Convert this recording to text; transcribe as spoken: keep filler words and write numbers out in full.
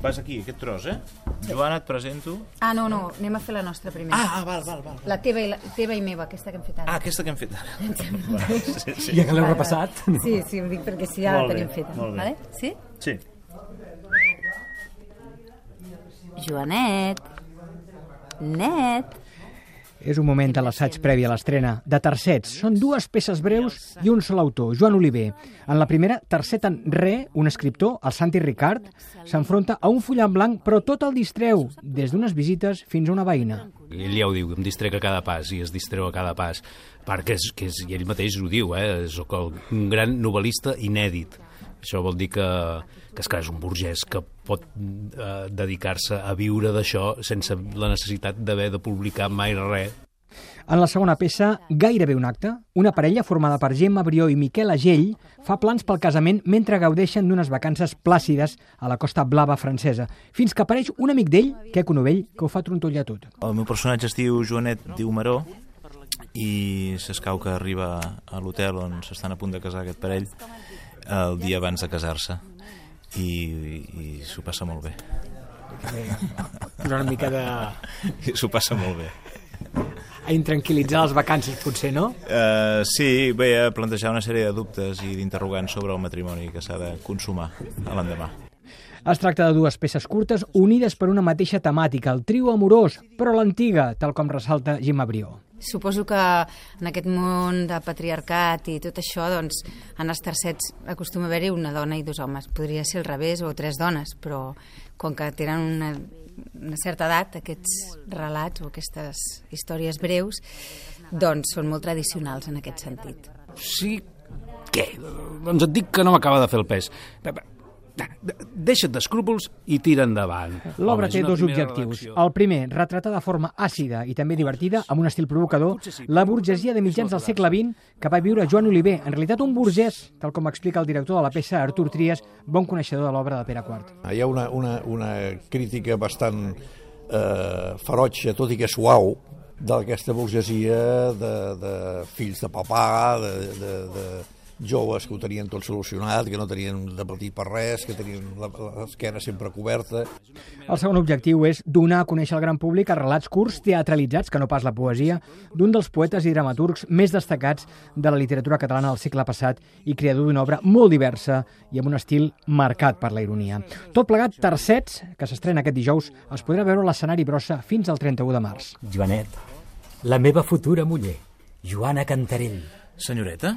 vas aquí, aquest tros, eh? Joana, et presento. Ah, no, no, anem a fer la nostra primer. Ah, ah, val, val, val. La teva i, la, teva i meva, aquesta que hem fet ara. Ah, aquesta que hem fet ara. Sí, sí. Ja que l'heu repassat. Sí, sí, ho dic perquè sí, ja la Molt bé, tenim feta. molt bé. Vale? Sí? Sí. Joanet. Net. És un moment de l'assaig previ a l'estrena de Tercets. Són dues peces breus i un sol autor, Joan Oliver. En la primera, Tercet en Re, un escriptor, el Santi Ricard, s'enfronta a un full en blanc, però tot el distreu, des d'unes visites fins a una veïna. Ell ja ho diu, em distrec a cada pas i es distreu a cada pas. Perquè és, que és, i ell mateix ho diu, eh? Soc el, un gran novel·lista inèdit. Això vol dir que, que, és, que és un burgès que pot eh, dedicar-se a viure d'això sense la necessitat d'haver de publicar mai res. En la segona peça, Gairebé un acte, una parella formada per Gemma Brió i Miquel Agell fa plans pel casament mentre gaudeixen d'unes vacances plàcides a la Costa Blava francesa, fins que apareix un amic d'ell, Queco Novell, que ho fa trontollar tot. El meu personatge es diu Joanet, diu Maró, i s'escau que arriba a l'hotel on s'estan a punt de casar aquest parell el dia abans de casar-se i, i s'ho passa molt bé. Una mica de... I s'ho passa molt bé. A intranquil·litzar les vacances, potser, no? Uh, sí, bé, a plantejar una sèrie de dubtes i d'interrogants sobre el matrimoni que s'ha de consumar a l'endemà. Es tracta de dues peces curtes unides per una mateixa temàtica, el trio amorós, però l'antiga, tal com ressalta Gemma Brió. Suposo que en aquest món de patriarcat i tot això, doncs, en els tercets acostuma a haver-hi una dona i dos homes. Podria ser al revés, o tres dones, però com que tenen una, una certa edat, aquests relats o aquestes històries breus, doncs són molt tradicionals en aquest sentit. Sí, què? Doncs et dic que no m'acaba de fer el pes. Deixa't d'escrúpols i tira endavant. L'obra Home, té és una dos primera objectius. redacció. El primer, retratar de forma àcida i també divertida, amb un estil provocador, la burgesia de mitjans del segle vint que va viure Joan Oliver, en realitat un burgès, tal com explica el director de la peça, Artur Trias, bon coneixedor de l'obra de Pere quart. Hi ha una, una, una crítica bastant eh, ferotge, tot i que suau, d'aquesta burgesia de, de fills de papà, de, de, de joves que ho tenien tot solucionat, que no tenien de patir per res, que tenien l'esquena sempre coberta. El segon objectiu és donar a conèixer al gran públic els relats curts teatralitzats, que no pas la poesia, d'un dels poetes i dramaturgs més destacats de la literatura catalana del segle passat i creador d'una obra molt diversa i amb un estil marcat per la ironia. Tot plegat, Tercets, que s'estrena aquest dijous, es podrà veure a l'escenari Brossa fins al trenta-u de març. Joanet, la meva futura muller, Joana Cantarell. Senyoreta?